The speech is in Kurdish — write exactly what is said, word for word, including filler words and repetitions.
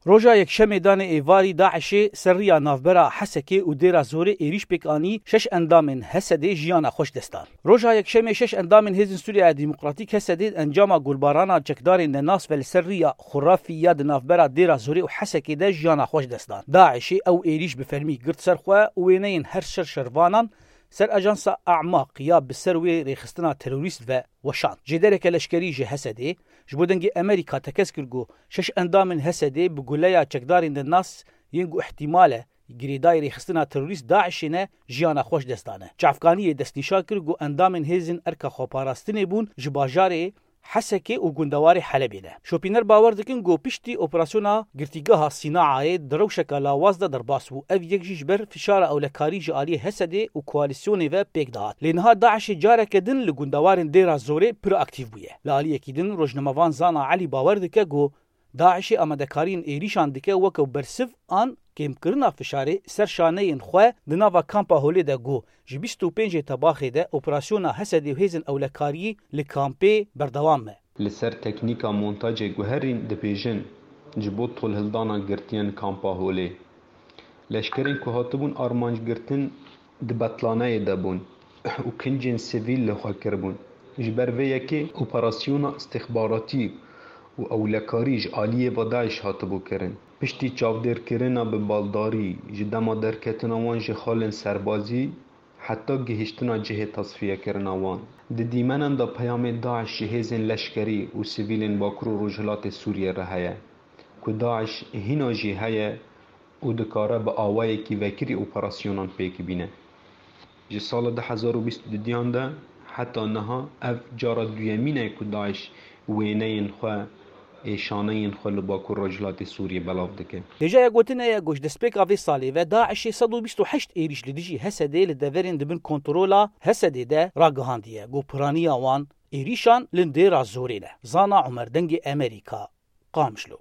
Roja Yekşemê danê êvarî DAIŞê ser riya navbera Hesekê û Dêra Zorê êrîş pêk anî, şeş endamên Hesedê jiyana xwe ji dest dan. Roja Yekşemê şeş endamên Hêzên Sûriya Demokratîk Hesedê encama gulbarana çekdarên nenas ve li ser riya Xurafî ya di navbera Dêra Zorê û Hesekê de jiyana xwe ji dest dan. DAIŞê ew êrîş bi fermî girt ser xwe û wêneyên her şer şervanan ser ajansa Amaq ya bi ser wê rêxistina terorîst ve weşand. Jêdereke leşkerî ji Hesedê ji bo dengê Amerîka tekez kir ku şeş endamên Hesedê bi guleya çekdarên nenas yên ku îhtîmal e girêdayî rêxistina terorîst DAIŞê ne, jiyana xwe ji dest dane. Çavkaniyê destnîşan kir ku endamên hêzên erka xweparastinê bûn ji bajarê Hesekê û gundewarê Helebê de. Şopîner bawer dikin ku piştî operasyona girtîgeha Sînaayê di rewşeka lawaz de derbas bû. Ev yek jî ji ber fişara ewlekarî ji aliyê Hesedê û koalîsyonê ve pêk dihat. Lê niha DAIŞê careke din li gundewarên Dêra Zorê pir aktîf bûye. Li aliyekî din rojnamevan Zana Elî bawer dike ku DAIŞê amadekariyên êrîşan dike weke bersiv an kêmkirina fişarê ser şaneyên xwe di nava kampa Holê de ku ji bîst û pêncê Tebaxê de operasyona Hesedê û hêzên ewlekariyê li kampê berdewam e. Li ser teknîka montajê guherîn dibêjin, ji bo tolhildana girtiyên kampa Holê. Leşkerên ku hatibûn armanc girtin di betlaneyê de bûn û kincên sivîl li xwe kiribûn. Ji ber vê yekê operasyona îstixbaratî û ewlekarî ji aliyê ve DAIŞ hatibû kirin. Piştî çavdêrkirina bi baldarî ji dema derketina wan ji xalên serbazî heta gihiştina cihê tasfiyekirina wan. Di dîmenan de peyamê DAIŞ ji hêzên leşkerî û sivîlên Bakur û Rojhilatê Sûriyê re heye, ku DAIŞ hîna jî heye û dikare bi awayekî vekirî operasyonan pêk bîne. Ji sala du hezar û bîst û duyan de heta niha ev cara duyemîn e ku DAIŞ wêneyên xwe ê şaneyên xwe li Bakur Rojhilatê Sûriyê belav dike. Hêjaya gotinê ye ku ji destpêka vê salê ve DAIŞê sed û bîst û heşt êrîş li dijî Hesedê li deverên di bin kontrola Hesedê de ragihandiye ku piraniya wan êrîşan li Dêra Zorê ne. Zana Omer, Dengê Amerîka, Qamişlo.